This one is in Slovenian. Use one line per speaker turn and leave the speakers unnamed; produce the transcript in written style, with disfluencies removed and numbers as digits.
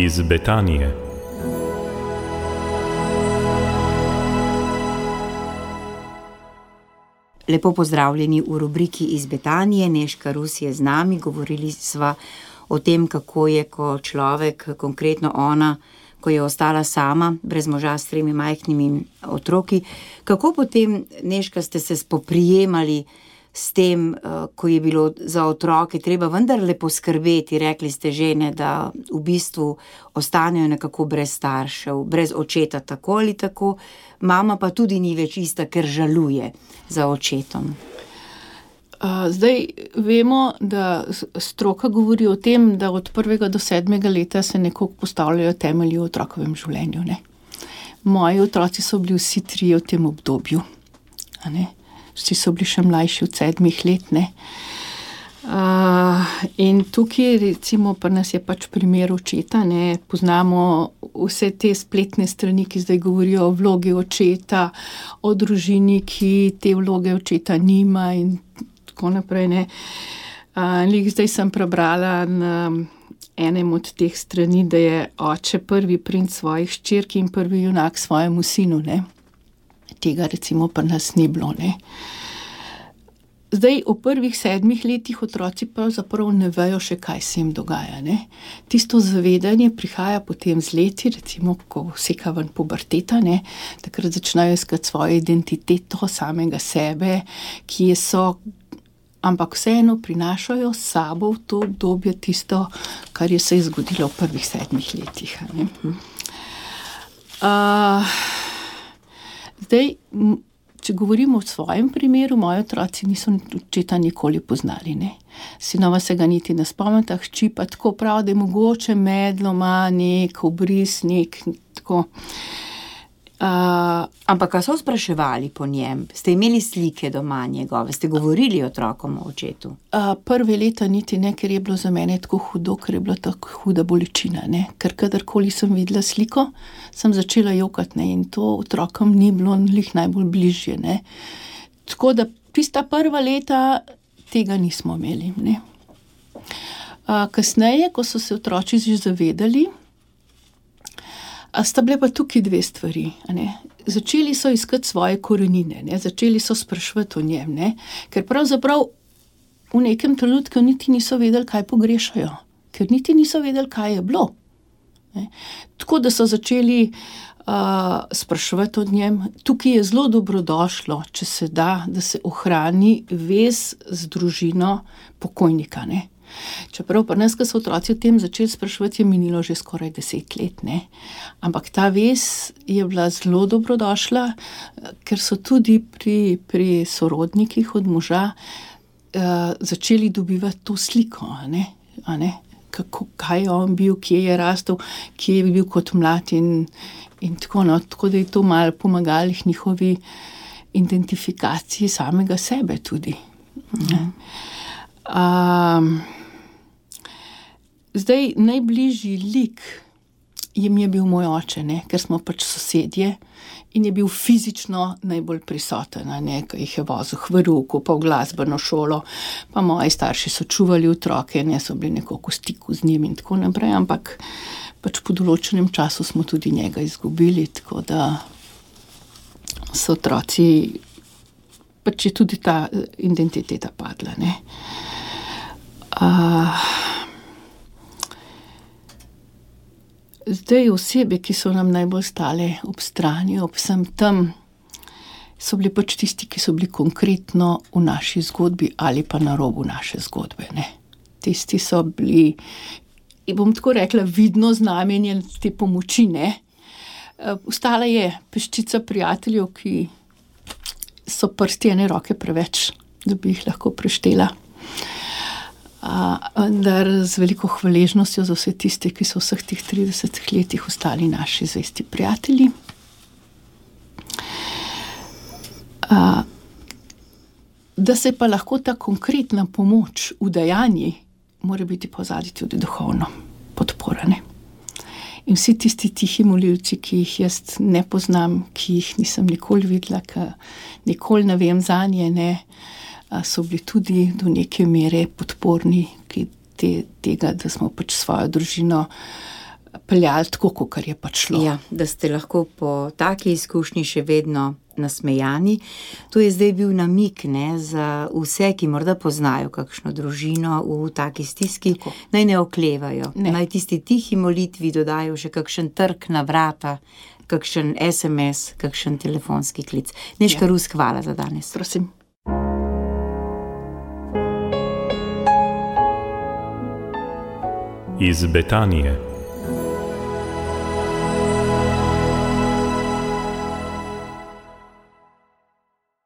iz Betanije.
Lepo pozdravljeni v rubriki iz Betanije. Nežka Rus je z nami. Govorili sva o tem, kako je, ko človek, konkretno ona, ko je ostala sama, brez moža s 3 majhnimi otroki. Kako potem, Nežka, ste se spoprijemali s tem, ko je bilo za otroke treba vendarle poskrbeti? Rekli ste žene, da v bistvu ostanejo nekako brez staršev, brez očeta tako ali tako. Mama pa tudi ni več ista, ker žaluje za očetom.
Zdaj vemo, da stroka govori o tem, da od 1. do 7. leta se nekako postavljajo temelji v otrokovem življenju, ne. Moji otroci so bili vsi 3 v tem obdobju, a ne. Vsi so bili še mlajši od 7 let, ne. In tukaj, recimo, pri nas je pač primer očeta, ne. Poznamo vse te spletne strani, ki zdaj govorijo o vlogi očeta, o družini, ki te vloge očeta nima in tako naprej, ne. Zdaj sem prebrala na enem od teh strani, da je oče prvi princ svojih hčerk in prvi junak svojemu sinu, ne. Tega recimo pri nas ni bilo, ne. Zdaj, v prvih 7 letih otroci pravzaprav ne vejo še, kaj se jim dogaja, ne. Tisto zavedanje prihaja potem z leti, recimo, ko seka ven puberteta, ne, takrat začnejo iskati svojo identiteto samega sebe, ki so, ampak vseeno prinašajo s sabo v to obdobje tisto, kar je se zgodilo v prvih 7 letih, ne. Zdaj, če govorimo o svojem primeru, moji otroci niso očeta nikoli poznali, ne. Sinova se ga niti ne spomnita, hči pa tako prav, da je mogoče medlo ima nek obris, tako.
Ampak kaj so spraševali po njem? Ste imeli slike doma njegove? Ste govorili otrokom o očetu?
Prve leta niti ne, ker je bilo za mene tako hudo, ker je bila tako huda bolečina, ne. Ker kadarkoli sem videla sliko, sem začela jokati, ne, in to otrokom ni bilo glih najbolj bližje, ne. Tako da tista prva leta tega nismo imeli, ne. Kasneje, ko so se otroci že zavedali, sta bile pa tukaj 2 stvari, a ne. Začeli so iskati svoje korenine, ne. Začeli so spraševati o njem, ne. Ker pravzaprav v nekem trenutku niti niso vedeli, kaj pogrešajo. Ker niti niso vedeli, kaj je bilo, ne. Tako da so začeli spraševati o njem. Tukaj je zelo dobrodošlo, če se da, da se ohrani vez z družino pokojnika, ne. Čeprav pri nas, ko so otroci o tem začeli spraševati, je minilo že skoraj 10 let, ne. Ampak ta vez je bila zelo dobrodošla, ker so tudi pri sorodnikih od moža začeli dobivati to sliko, a ne. Kaj je on bil, kje je rastel, kje je bil kot mlad in tako, no. Tako da je to malo pomagalo njihovi identifikaciji samega sebe tudi. Zdaj, najbližji lik jim je bil moj oče, ne, ker smo pač sosedje in je bil fizično najbolj prisoten, a ne, ko jih je vozil k verouku, pa v glasbeno šolo, pa moji starši so čuvali otroke, ne, so bili nekako v stiku z njim in tako naprej, ampak pač po določenem času smo tudi njega izgubili, tako da so otroci, pač je tudi ta identiteta padla, ne. Zdaj, osebe, ki so nam najbolj stale ob strani, ob vsem tem, so bili pač tisti, ki so bili konkretno v naši zgodbi ali pa na robu naše zgodbe, ne. Tisti so bili, bom tako rekla, vidno znamenje te pomoči, ne. Ostala je peščica prijateljev, ki so prsti ene roke preveč, da bi jih lahko preštela. Vendar z veliko hvaležnostjo za vse tiste, ki so vseh teh 30 letih ostali naši zvesti prijatelji. Da se pa lahko ta konkretna pomoč udejanji, mora biti pa zadaj tudi duhovno podpora, ne. In vsi tisti tihi molilci, ki jih jaz ne poznam, ki jih nisem nikoli videla, ki nikoli ne vem zanje, ne, so bili tudi do neke mere podporni, ki tega, da smo pač svojo družino peljali tako, kakor je pač šlo.
Ja, da ste lahko po taki izkušnji še vedno nasmejani. To je zdaj bil namig, ne, za vse, ki morda poznajo kakšno družino v taki stiski, naj ne oklevajo. Naj tisti tihi molitvi dodajo še kakšen trk na vrata, kakšen SMS, kakšen telefonski klic. Nežka Rus, hvala za danes.
Prosim.
Iz Betanije.